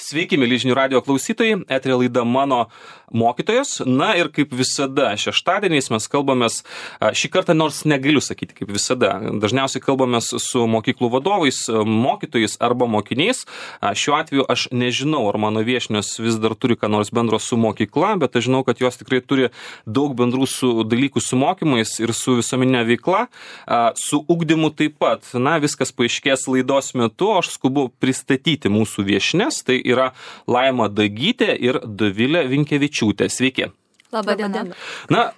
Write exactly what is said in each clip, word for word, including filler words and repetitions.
Sveiki, mėly žinių radijo klausytojai, eteryje laida Mano mokytojas. Na ir kaip visada, šeštadieniais mes kalbamės, šį kartą nors negaliu sakyti kaip visada, dažniausiai kalbamės su mokyklų vadovais, mokytojais arba mokiniais. Šiuo atveju aš nežinau, ar mano viešnios vis dar turi ką nors bendro su mokykla, bet aš žinau, kad jos tikrai turi daug bendrų su dalykų su mokymais ir su visuomeninė veikla, su ugdymu taip pat. Na, viskas paaiškės laidos metu, aš skubu pristatyti mūsų viešnes. Tai yra Laima Dagytė ir Dovilė Vinkevičiūtė. Sveiki. Labą dieną. Na,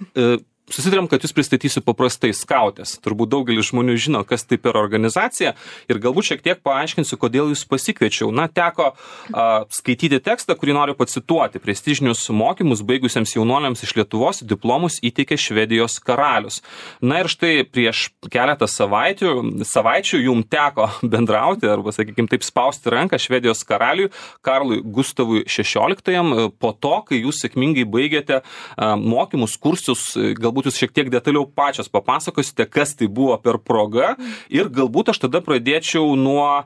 susitarėm, kad jūs pristatysiu paprastai skautės. Turbūt daugelis žmonių žino, kas tai per organizacija ir galbūt šiek tiek paaiškinsiu, kodėl jūs pasikviečiau. Na, teko a, skaityti tekstą, kurį noriu pacituoti. Prestižinius mokymus baigusiems jaunuoliams iš Lietuvos diplomus įteikė Švedijos karalius. Na ir štai prieš keletą savaičių, savaičių jums teko bendrauti arba, sakykime, taip spausti ranką Švedijos karaliui Karlui Gustavui šešioliktajam po to, kai jūs sėkmingai baigėte a, mokymus, kursus, galbūt Galbūt jūs šiek tiek detaliau pačios papasakosite, kas tai buvo per proga ir galbūt aš tada pradėčiau nuo a,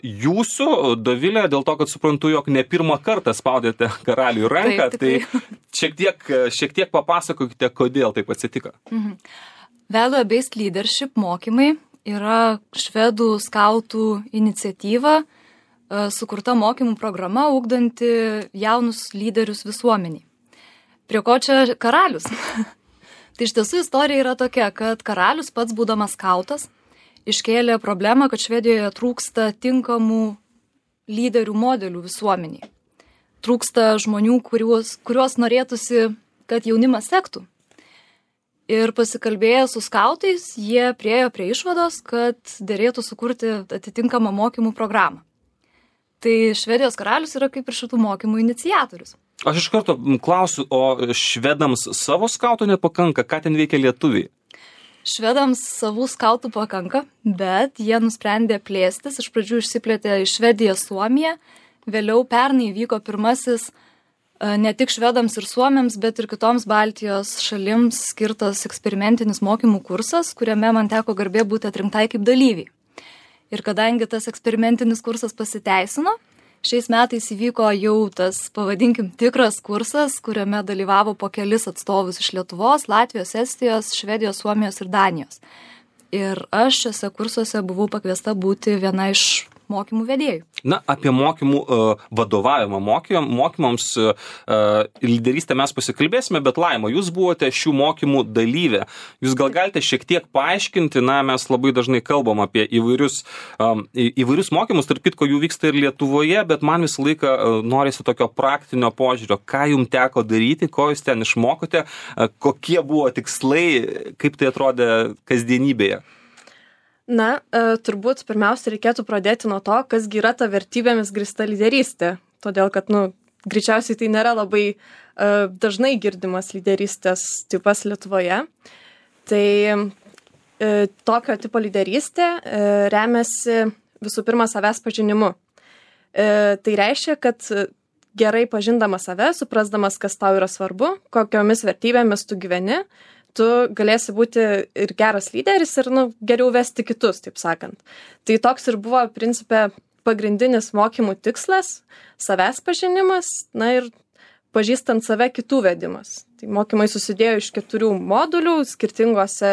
jūsų, Dovilė, dėl to, kad suprantu, jog ne pirmą kartą spaudėte karaliui ranką, taip, taip. tai šiek tiek, šiek tiek papasakokite, kodėl taip atsitiko. Mhm. Value-based leadership mokymai yra švedų skautų iniciatyva, sukurta mokymų programa, ugdanti jaunus lyderius visuomeniai. Prie ko čia karalius? Tai iš tiesų istorija yra tokia, kad karalius pats būdamas skautas iškėlė problemą, kad Švedijoje trūksta tinkamų lyderių modelių visuomeniai. Trūksta žmonių, kuriuos, kuriuos norėtųsi, kad jaunimas sektų. Ir pasikalbėję su skautais, jie priėjo prie išvados, kad derėtų sukurti atitinkamą mokymų programą. Tai Švedijos karalius yra kaip ir šitų mokymų iniciatorius. Aš iš karto klausiu, o švedams savo skautų nepakanka, ką ten veikia lietuviai? Švedams savų skautų pakanka, bet jie nusprendė plėstis. Iš pradžių išsiplėtė iš Švediją Suomiją, vėliau pernai vyko pirmasis ne tik švedams ir suomiams, bet ir kitoms Baltijos šalims skirtas eksperimentinis mokymų kursas, kuriame man teko garbė būti atrinktai kaip dalyviai. Ir kadangi tas eksperimentinis kursas pasiteisino, šiais metais įvyko jau tas, pavadinkim, tikras kursas, kuriame dalyvavo po kelis atstovus iš Lietuvos, Latvijos, Estijos, Švedijos, Suomijos ir Danijos. Ir aš šiuose kursuose buvau pakviesta būti viena iš mokymų vedėjų. Na, apie mokymų uh, vadovavimą mokym, mokymams uh, lyderystę mes pasikalbėsime, bet Laima, jūs buvote šių mokymų dalyvė. Jūs gal galite šiek tiek paaiškinti, na, mes labai dažnai kalbam apie įvairius, um, į, įvairius mokymus, tarp kitko jų vyksta ir Lietuvoje, bet man visą laiką uh, norisi tokio praktinio požiūrio, ką jums teko daryti, ko jūs ten išmokote, uh, kokie buvo tikslai, kaip tai atrodė kasdienybėje. Na, e, turbūt pirmiausia reikėtų pradėti nuo to, kasgi yra ta vertybėmis grįsta lyderystė. Todėl, kad, nu, greičiausiai tai nėra labai e, dažnai girdimas lyderystės tipas Lietuvoje. Tai e, tokio tipo lyderystė e, remiasi visų pirma savęs pažinimu. E, tai reiškia, kad gerai pažindamas save, suprasdamas, kas tau yra svarbu, kokiomis vertybėmis tu gyveni, tu galėsi būti ir geras lyderis ir, nu, geriau vesti kitus, taip sakant. Tai toks ir buvo, principe, pagrindinis mokymų tikslas, savęs pažinimas, na ir pažįstant save kitų vedimas. Tai mokymai susidėjo iš keturių modulių skirtingose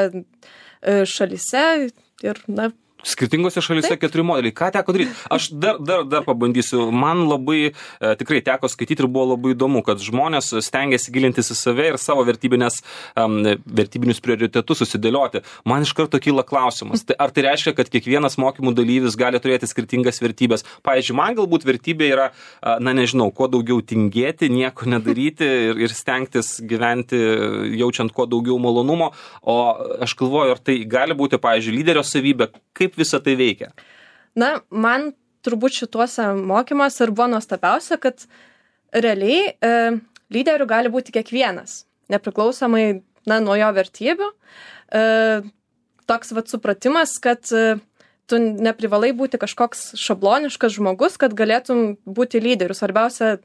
šalyse ir, na, Skirtingose šalyse keturi modeliai. Ką teko daryti? Aš dar, dar, dar pabandysiu. Man labai e, tikrai teko skaityti ir buvo labai įdomu, kad žmonės stengiasi gilintis į save ir savo vertybinės, um, vertybinius prioritetus susidėlioti. Man iš karto kyla klausimas. Tai ar tai reiškia, kad kiekvienas mokymų dalyvis gali turėti skirtingas vertybės? Pavyzdžiui, man galbūt vertybė yra, na nežinau, kuo daugiau tingėti, nieko nedaryti ir, ir stengtis gyventi jaučiant kuo daugiau malonumo. O aš galvoju, ar tai gali būti, pavyzdžiui, lyderio savybė, kaip visą tai veikia? Na, man turbūt šituose mokymuose ir buvo nuostabiausia, kad realiai e, lyderių gali būti kiekvienas, nepriklausomai, na, nuo jo vertybių. E, toks vat supratimas, kad e, tu neprivalai būti kažkoks šabloniškas žmogus, kad galėtum būti lyderiu. Svarbiausia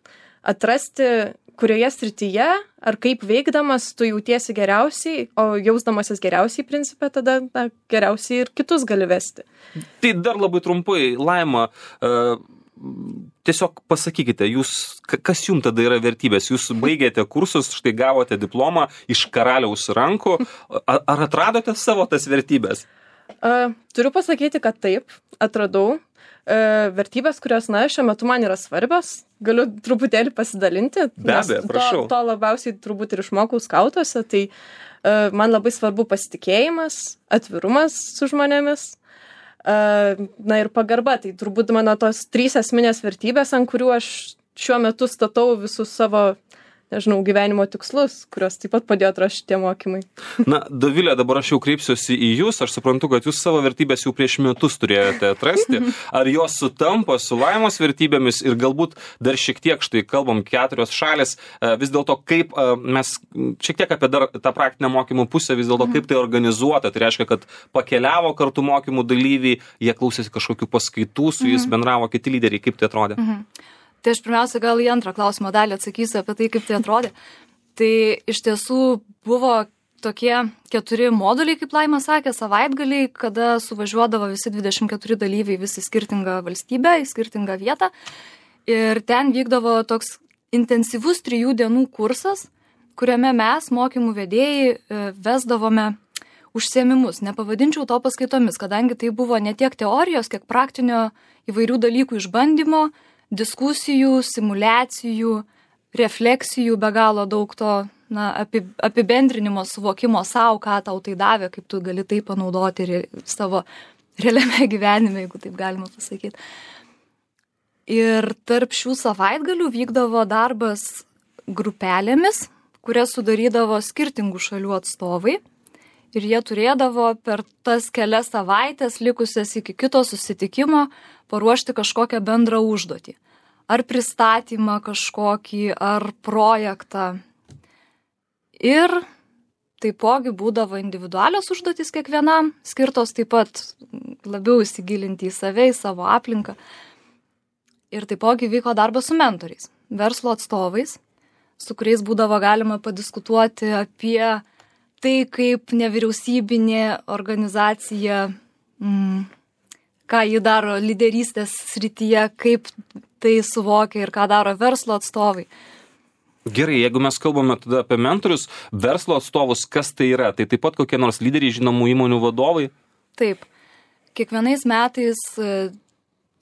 atrasti, kurioje srityje ar kaip veikdamas tu jautiesi geriausiai, o jausdamasis geriausiai principe, tada na, geriausiai ir kitus gali vesti. Tai dar labai trumpai, Laima, uh, tiesiog pasakykite, jūs, kas jums tada yra vertybės? Jūs baigėte kursus, štai gavote diplomą iš karaliaus rankų. Ar, ar atradote savo tas vertybės? Uh, turiu pasakyti, kad taip, atradau. Uh, vertybės, kurios, na, šiuo metu man yra svarbios. Galiu truputėlį pasidalinti. Be abejo, prašau. To, to labiausiai turbūt ir išmokau skautuose. Tai uh, man labai svarbu pasitikėjimas, atvirumas su žmonėmis. Na ir pagarba, tai turbūt mano tos trys esminės vertybės, ant kurių aš šiuo metu statau visus savo, nežinau, gyvenimo tikslus, kurios taip pat padėjo atrasti tie mokymai. Na, Dovilė, dabar aš jau kreipsiuosi į jūs, aš suprantu, kad jūs savo vertybės jau prieš metus turėjote atrasti. Ar jos sutampa su Laimos vertybėmis ir galbūt dar šiek tiek, štai kalbam, keturios šalis, vis dėlto kaip mes, šiek tiek apie dar tą praktinę mokymų pusę, vis dėlto kaip tai organizuota, tai reiškia, kad pakeliavo kartu mokymų dalyviai, jie klausėsi kažkokių paskaitų, su jais bendravo kiti lyderiai, kaip tai atrodė? Mhm. Tai aš pirmiausia gal į antrą klausimo dalį atsakysiu apie tai, kaip tai atrodė. Tai iš tiesų buvo tokie keturi moduliai, kaip Laima sakė, savaitgaliai, kada suvažiuodavo visi dvidešimt keturi dalyviai visi skirtingą valstybę, į skirtingą vietą. Ir ten vykdavo toks intensyvus trijų dienų kursas, kuriame mes, mokymų vedėjai, vesdavome užsiėmimus. Nepavadinčiau to paskaitomis, kadangi tai buvo ne tiek teorijos, kiek praktinio įvairių dalykų išbandymo, diskusijų, simulacijų, refleksijų, be galo daug to na, apibendrinimo, suvokimo savo, ką tau tai davė, kaip tu gali tai panaudoti ir savo realiame gyvenime, jeigu taip galima pasakyti. Ir tarp šių savaitgalių vykdavo darbas grupelėmis, kurias sudarydavo skirtingų šalių atstovai. Ir jie turėdavo per tas kelias savaitės, likusias iki kito susitikimo, paruošti kažkokią bendrą užduotį. Ar pristatymą kažkokį, ar projektą. Ir taipogi būdavo individualios užduotys kiekvienam, skirtos taip pat labiau įsigilinti į save, į savo aplinką. Ir taipogi vyko darbas su mentoriais, verslo atstovais, su kuriais būdavo galima padiskutuoti apie tai, kaip nevyriausybinė organizacija, mm, ką ji daro lyderystės srityje, kaip tai suvokia ir ką daro verslo atstovai. Gerai, jeigu mes kalbame tada apie mentorius, verslo atstovus, kas tai yra? Tai taip pat kokie nors lyderiai, žinomų įmonių vadovai? Taip. Kiekvienais metais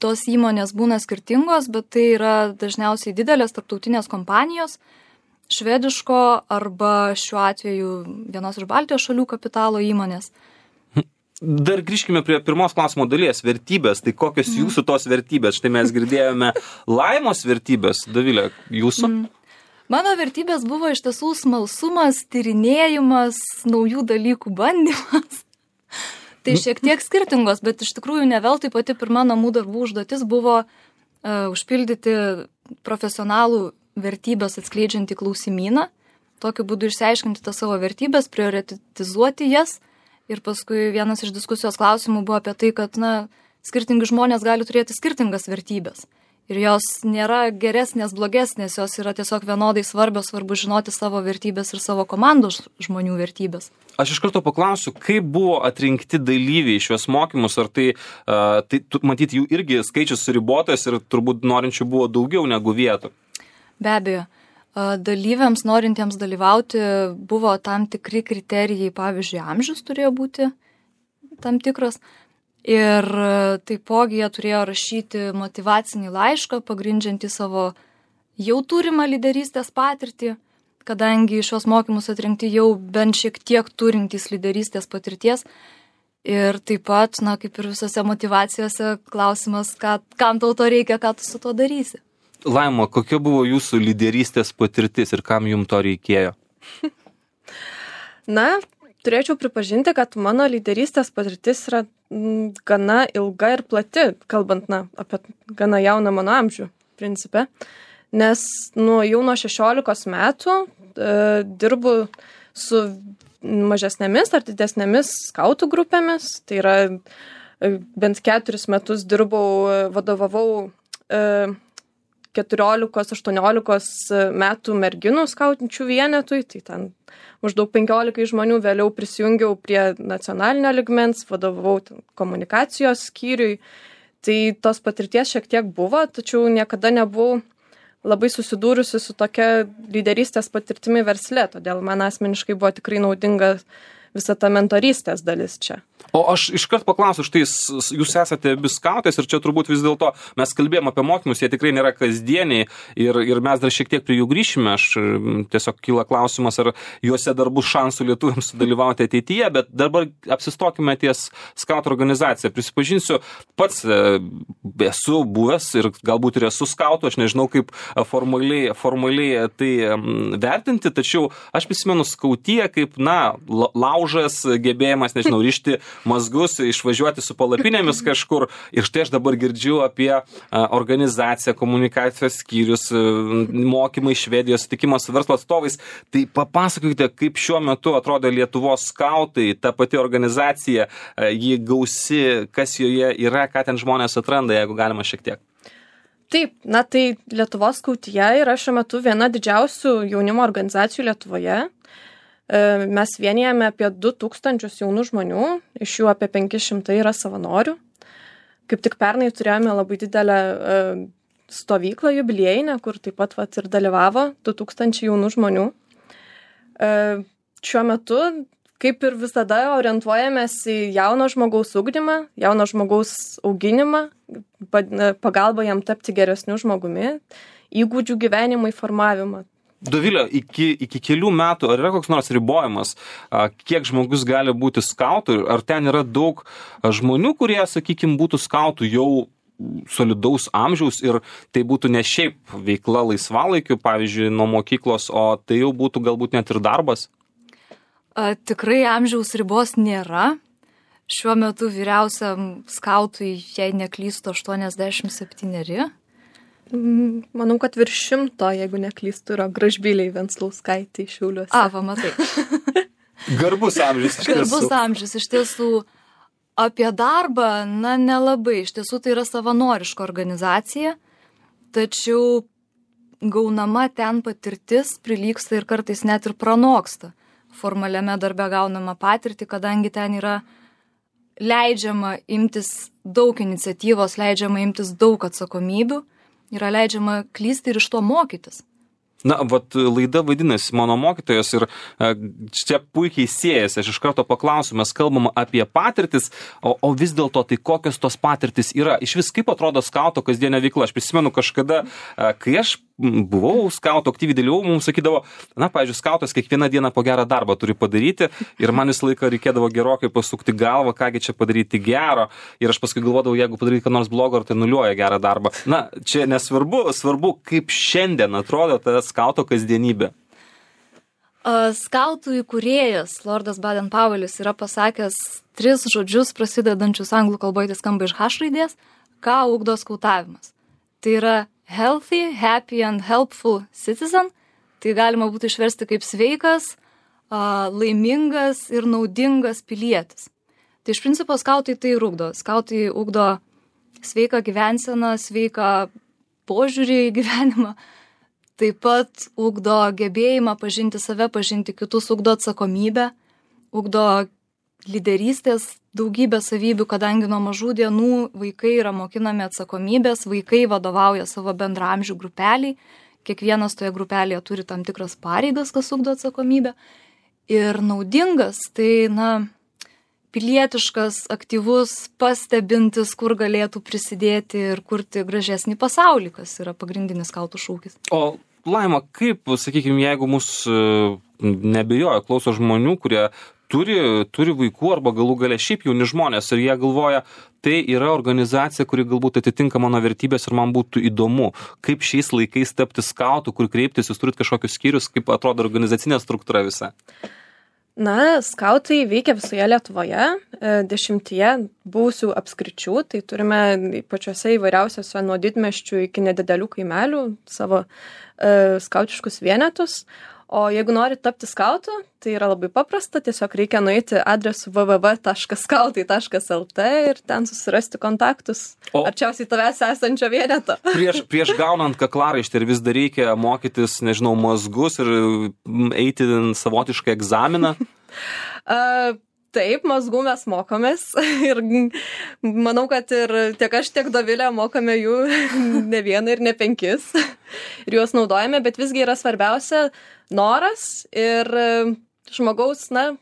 tos įmonės būna skirtingos, bet tai yra dažniausiai didelės tarptautinės kompanijos, švediško arba šiuo atveju vienos iš Baltijos šalių kapitalo įmonės. Dar grįžkime prie pirmos klausimo dalies, vertybės. Tai kokios mm. jūsų tos vertybės? Štai mes girdėjome Laimos vertybės. Dovilė, jūsų? Mm. Mano vertybės buvo iš tiesų smalsumas, tyrinėjimas, naujų dalykų bandymas. Tai šiek tiek skirtingos, bet iš tikrųjų ne veltui pati pirma namų darbų užduotis buvo uh, užpildyti profesionalų vertybės atskleidžiantį klausimyną, tokiu būdu išsiaiškinti tas savo vertybės, prioritizuoti jas. Ir paskui vienas iš diskusijos klausimų buvo apie tai, kad na, skirtingi žmonės gali turėti skirtingas vertybės. Ir jos nėra geresnės, blogesnės, jos yra tiesiog vienodai svarbios, svarbu žinoti savo vertybės ir savo komandos žmonių vertybės. Aš iš karto paklausiu, kaip buvo atrinkti dalyviai šios mokymus, ar tai, uh, tai matyt, jų irgi skaičius suribotas ir turbūt norinčių buvo daugiau negu vietų. Be abejo. Dalyviams, norintiems dalyvauti, buvo tam tikri kriterijai, pavyzdžiui, amžius turėjo būti tam tikras. Ir taipogi jie turėjo rašyti motyvacinį laišką, pagrindžiantį savo jau turimą lyderystės patirtį, kadangi šios mokymus atrinkti jau bent šiek tiek turintys lyderystės patirties. Ir taip pat, na, kaip ir visose motyvacijose, klausimas, ką, kam tau to reikia, ką tu su to darysi. Laima, kokia buvo jūsų lyderystės patirtis ir kam jums to reikėjo? Na, turėčiau pripažinti, kad mano lyderystės patirtis yra m, gana ilga ir plati, kalbant na, apie gana jauną mano amžių, principe. Nes nu, jau nuo šešiolikos metų e, dirbu su mažesnėmis ar didesnėmis skautų grupėmis. Tai yra e, bent keturis metus dirbau, vadovavau e, keturiolikos aštuoniolikos metų merginų skautinčių vienetui, tai ten maždaug penkiolika žmonių, vėliau prisijungiau prie nacionalinio lygmens, vadovavau komunikacijos skyriui. Tai tos patirties šiek tiek buvo, tačiau niekada nebuvau labai susidūrusi su tokia lyderystės patirtimi versle, todėl man asmeniškai buvo tikrai naudinga visa ta mentorystės dalis čia. O aš iškart paklausiu, štai jūs esate abi skautės ir čia turbūt vis dėlto mes kalbėjom apie mokymus, jie tikrai nėra kasdieniai ir, ir mes dar šiek tiek prie jų grįšime. Aš tiesiog kyla klausimas, ar juose dar bus šansų lietuviams sudalyvauti ateityje, bet dabar apsistokime ties skautų organizacija. Prisipažinsiu, pats esu buvęs ir galbūt ir esu skautų, aš nežinau kaip formaliai, formaliai tai vertinti, tačiau aš prisimenu skautiją kaip, na, laužas, gebėjimas, nežinau, rišti mazgus, išvažiuoti su palapinėmis kažkur. Ir štai aš dabar girdžiu apie organizaciją, komunikacijos skyrius, mokymai Švedijos, sutikimas su verslo atstovais. Tai papasakokite, kaip šiuo metu atrodo Lietuvos skautai, ta pati organizacija, ji gausi, kas joje yra, ką ten žmonės atranda, jeigu galima šiek tiek. Taip, na tai Lietuvos skautija yra šiuo metu viena didžiausių jaunimo organizacijų Lietuvoje. Mes vienijame apie du tūkstančius jaunų žmonių, iš jų apie penki šimtai yra savanorių. Kaip tik pernai turėjome labai didelę stovyklą jubiliejinę, kur taip pat vat, ir dalyvavo du tūkstančiai jaunų žmonių. Šiuo metu, kaip ir visada, orientuojamės į jauno žmogaus ugdymą, jauno žmogaus auginimą, pagalbą jam tapti geresniu žmogumi, įgūdžių gyvenimui formavimą. Dovilė, iki, iki kelių metų, ar yra koks nors ribojimas, kiek žmogus gali būti skautų, ar ten yra daug žmonių, kurie, sakykime, būtų skautų jau solidaus amžiaus ir tai būtų ne šiaip veikla laisvalaikiu, pavyzdžiui, nuo mokyklos, o tai jau būtų galbūt net ir darbas? A, tikrai amžiaus ribos nėra. Šiuo metu vyriausiam skautui, jei neklystu, aštuoniasdešimt septyneri. Manau, kad virš šimto, jeigu neklystu, yra Gražbyliai Venclauskaitė iš Šiauliuose. A, va, matai. Garbus amžius iš tiesų. Garbus amžius iš tiesų. Apie darbą, na, nelabai. Iš tiesų tai yra savanoriška organizacija, tačiau gaunama ten patirtis prilygsta ir kartais net ir pranoksta formaliame darbe gaunama patirtį, kadangi ten yra leidžiama imtis daug iniciatyvos, leidžiama imtis daug atsakomybių, yra leidžiama klysti ir iš to mokytis. Na, vat laida vadinasi Mano mokytojas ir čia puikiai siejasi. Aš iš karto paklausiu, mes kalbam apie patirtis, o, o vis dėlto tai kokios tos patirtis yra. Iš vis kaip atrodo skauto kasdienė veikla. Aš prisimenu kažkada, kai aš buvau skauto aktyviai dalyvau, mums sakydavo, na, pavyzdžiui, skautas kiekvieną dieną po gerą darbą turi padaryti ir man visą laiką reikėdavo gerokai pasukti galvą, kągi čia padaryti gero ir aš paskui galvodavau, jeigu padaryti ką nors blogo, ar tai nuliuoja gerą darbą. Na, čia nesvarbu, svarbu, kaip šiandien atrodo ta skauto kasdienybė. Skautų įkūrėjas Lordas Baden-Powellis yra pasakęs tris žodžius prasidedančius anglų kalboje, tai skamba iš H raidės, ką ugdo skautavimas. Tai yra healthy, happy and helpful citizen. Tai galima būtų išversti kaip sveikas, laimingas ir naudingas pilietis. Tai iš principo skautai tai ir ugdo. Skautai ugdo sveiką gyvenseną, sveiką požiūrį į gyvenimą. Taip pat ugdo gebėjimą pažinti save, pažinti kitus, ugdo atsakomybę, ugdo lyderystės daugybę savybių, kadangi nuo mažų dienų vaikai yra mokinami atsakomybės, vaikai vadovauja savo bendraamžių grupeliai, kiekvienas toje grupelėje turi tam tikras pareigas, kas ugdo atsakomybę. Ir naudingas, tai, na, pilietiškas, aktyvus, pastebintis, kur galėtų prisidėti ir kurti gražesnį pasaulį, kas yra pagrindinis skautų šūkis. O Laima, kaip, sakykime, jeigu mus nebejoja, klauso žmonių, kurie turi, turi vaikų arba galų gale šiaip jauni žmonės ir jie galvoja, tai yra organizacija, kuri galbūt atitinka mano vertybės ir man būtų įdomu, kaip šiais laikais tapti skautų, kur kreiptis, jūs turit kažkokius skyrius, kaip atrodo organizacinė struktūra visa? Na, skautai veikia visoje Lietuvoje, dešimtyje buvusių apskričių, tai turime pačiuose įvairiausiuose nuo didmiesčių iki nedidelių kaimelių savo e, skautiškus vienetus. O jeigu nori tapti skautu, tai yra labai paprasta, tiesiog reikia nueiti adresu w w w taškas skautai taškas l t ir ten susirasti kontaktus o arčiausiai tavęs esančio vieneto. Prieš, prieš gaunant kaklaraištį ir vis dar reikia mokytis, nežinau, mazgus ir eiti savotišką egzaminą? uh, Taip, mazgų mes mokomės ir manau, kad ir tiek aš, tiek Dovilė mokame jų ne vieną ir ne penkis ir juos naudojame, bet visgi yra svarbiausia noras ir žmogaus, na,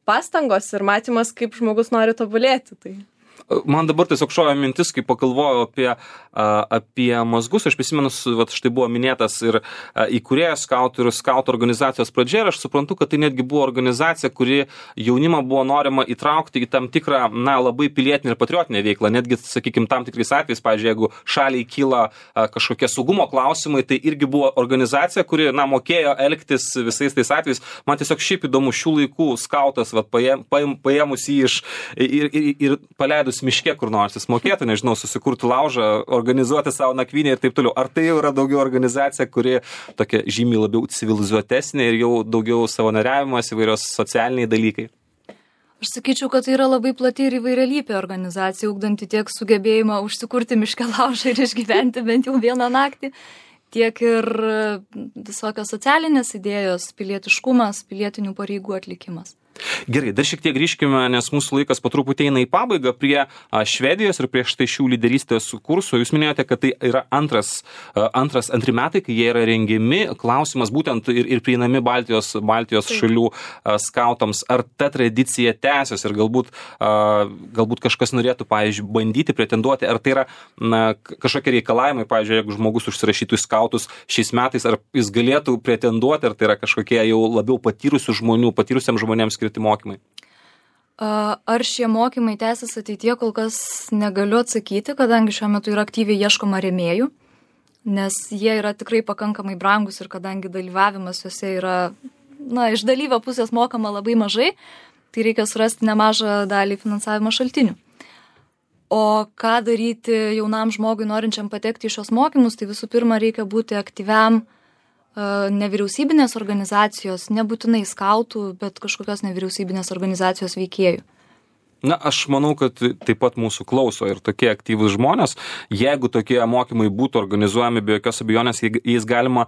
pastangos ir matymas, kaip žmogus nori tobulėti. Tai. Man dabar tiesiog šovė mintis, kai pagalvojau apie, apie mazgus, aš prisimenu, vat, štai buvo minėtas ir įkūrėjas skautų ir skautų organizacijos pradžia, ir aš suprantu, kad tai netgi buvo organizacija, kuri jaunimą buvo norima įtraukti į tam tikrą, na, labai pilietinę ir patriotinę veiklą, netgi, sakykime, tam tikrais atvejais, pavyzdžiui, jeigu šaliai kyla kažkokie saugumo klausimai, tai irgi buvo organizacija, kuri, na, mokėjo elgtis visais tais atvejais. Man tiesiog šiaip įdomu šių laikų skautas, vat, paėm, paėm, paėmus jį iš ir, ir, ir paleidus miške kur nors, jis mokėtų, nežinau, susikurti laužą, organizuoti savo nakvynę ir taip toliau. Ar tai jau yra daugiau organizacija, kuri tokia žymiai labiau civilizuotesnė ir jau daugiau savanoriavimas, įvairios socialiniai dalykai? Aš sakyčiau, kad tai yra labai plati ir įvairialypė organizacija, ugdanti tiek sugebėjimą užsikurti miške laužą ir išgyventi bent jau vieną naktį, tiek ir visokios socialinės idėjos, pilietiškumas, pilietinių pareigų atlikimas. Gerai, dar šiek tiek grįžkime, nes mūsų laikas po truputį eina į pabaigą prie a, Švedijos ir prieš tai šių lyderystės kursų. Jūs minėjote, kad tai yra antras, a, antras antri metai, kai jie yra rengiami. Klausimas būtent ir, ir prieinami Baltijos, Baltijos šalių a, skautams. Ar ta tradicija tęsiasi ir galbūt, a, galbūt kažkas norėtų, pavyzdžiui, bandyti pretenduoti, ar tai yra na, kažkokie reikalavimai, pavyzdžiui, jeigu žmogus užsirašytų į skautus šiais metais, ar jis galėtų pretenduoti, ar tai yra kažkokie jau labiau patyrusių žmonių, patyrusiam žmonėms skirti mokymai? Ar šie mokymai tęsis ateityje, kol kas negaliu atsakyti, kadangi šiuo metu yra aktyviai ieškoma rėmėjų, nes jie yra tikrai pakankamai brangus ir kadangi dalyvavimas juose yra, na, iš dalyvio pusės mokama labai mažai, tai reikia surasti nemažą dalį finansavimo šaltinių. O ką daryti jaunam žmogui norinčiam patekti į šios mokymus, tai visų pirma reikia būti aktyviam nevyriausybinės organizacijos, nebūtinai skautų, bet kažkokios nevyriausybinės organizacijos veikėjų. Na, aš manau, kad taip pat mūsų klauso ir tokie aktyvūs žmonės. Jeigu tokie mokymai būtų organizuojami, be jokios abejonės, jais galima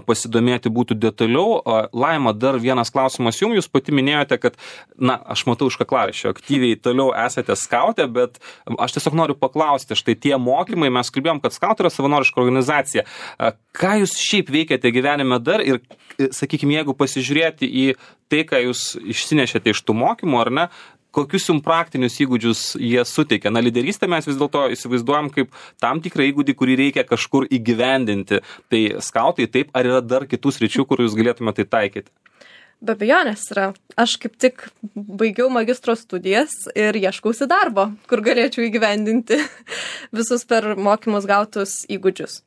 pasidomėti būtų detaliau. Laima, dar vienas klausimas jums. Jūs pati minėjote, kad, na, aš matau iš kaklaraiščio, aktyviai toliau esate skautė, bet aš tiesiog noriu paklausti, štai tie mokymai, mes kalbėjom, kad skautai yra savanoriška organizacija. Ką jūs šiaip veikiate gyvenime dar ir, sakykime, jeigu pasižiūrėti į tai, ką jūs išsinešėte iš tų mokymų, ar ne, kokius jums praktinius įgūdžius jie suteikia? Na, lyderystę mes vis dėlto įsivaizduojam kaip tam tikrą įgūdį, kurį reikia kažkur įgyvendinti. Tai skautai taip, ar yra dar kitų sričių, kur jūs galėtumėte tai taikyti? Be abejonės yra. Aš kaip tik baigiau magistro studijas ir ieškausi darbo, kur galėčiau įgyvendinti visus per mokymus gautus įgūdžius.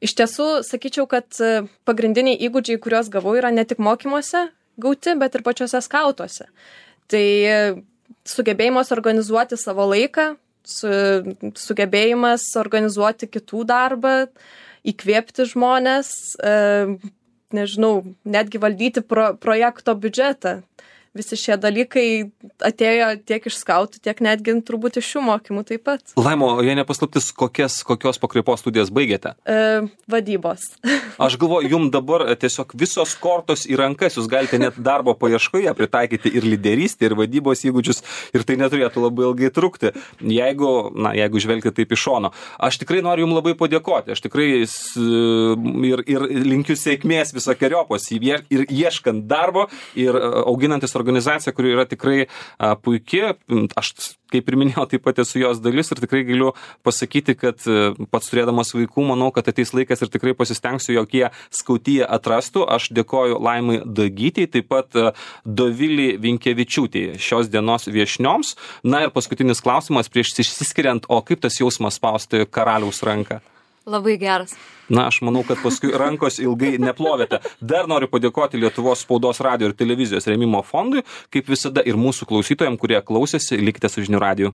Iš tiesų, sakyčiau, kad pagrindiniai įgūdžiai, kuriuos gavau, yra ne tik mokymuose gauti, bet ir pačiuose skautuose. Tai sugebėjimas organizuoti savo laiką, su, sugebėjimas organizuoti kitų darbą, įkvėpti žmonės, e, nežinau, netgi valdyti pro, projekto biudžetą. Visi šie dalykai atėjo tiek iš skautų, tiek netgi turbūt iš šių mokymų taip pat. Laimo, jei nepaslaptis, kokias, kokios pakraipos studijas baigėte? E, vadybos. Aš galvoju, jums dabar tiesiog visos kortos į rankas, jūs galite net darbo paieškoje pritaikyti ir lyderystę, ir vadybos įgūdžius, ir tai neturėtų labai ilgai trukti, jeigu, na, jeigu žvelgti taip iš šono. Aš tikrai noriu jums labai padėkoti, aš tikrai ir, ir linkiu sėkmės visokeriopos ir ieškant darbo, ir auginantis organizacija, kuri yra tikrai a, puikia. Aš, kaip ir minėjau, taip pat esu jos dalis ir tikrai galiu pasakyti, kad pats turėdamas vaikų, manau, kad ateis laikas ir tikrai pasistengsiu, jog jie skautyje atrastų. Aš dėkoju Laimai Dagytei, taip pat Dovilei Vinkevičiūtei, šios dienos viešnioms. Na ir paskutinis klausimas prieš išsiskiriant, o kaip tas jausmas spausti karaliaus ranką? Labai geras. Na, aš manau, kad paskui rankos ilgai neplovėte. Dar noriu padėkoti Lietuvos spaudos, radijo ir televizijos rėmimo fondui, kaip visada ir mūsų klausytojams, kurie klausėsi, likite su Žinių radiju.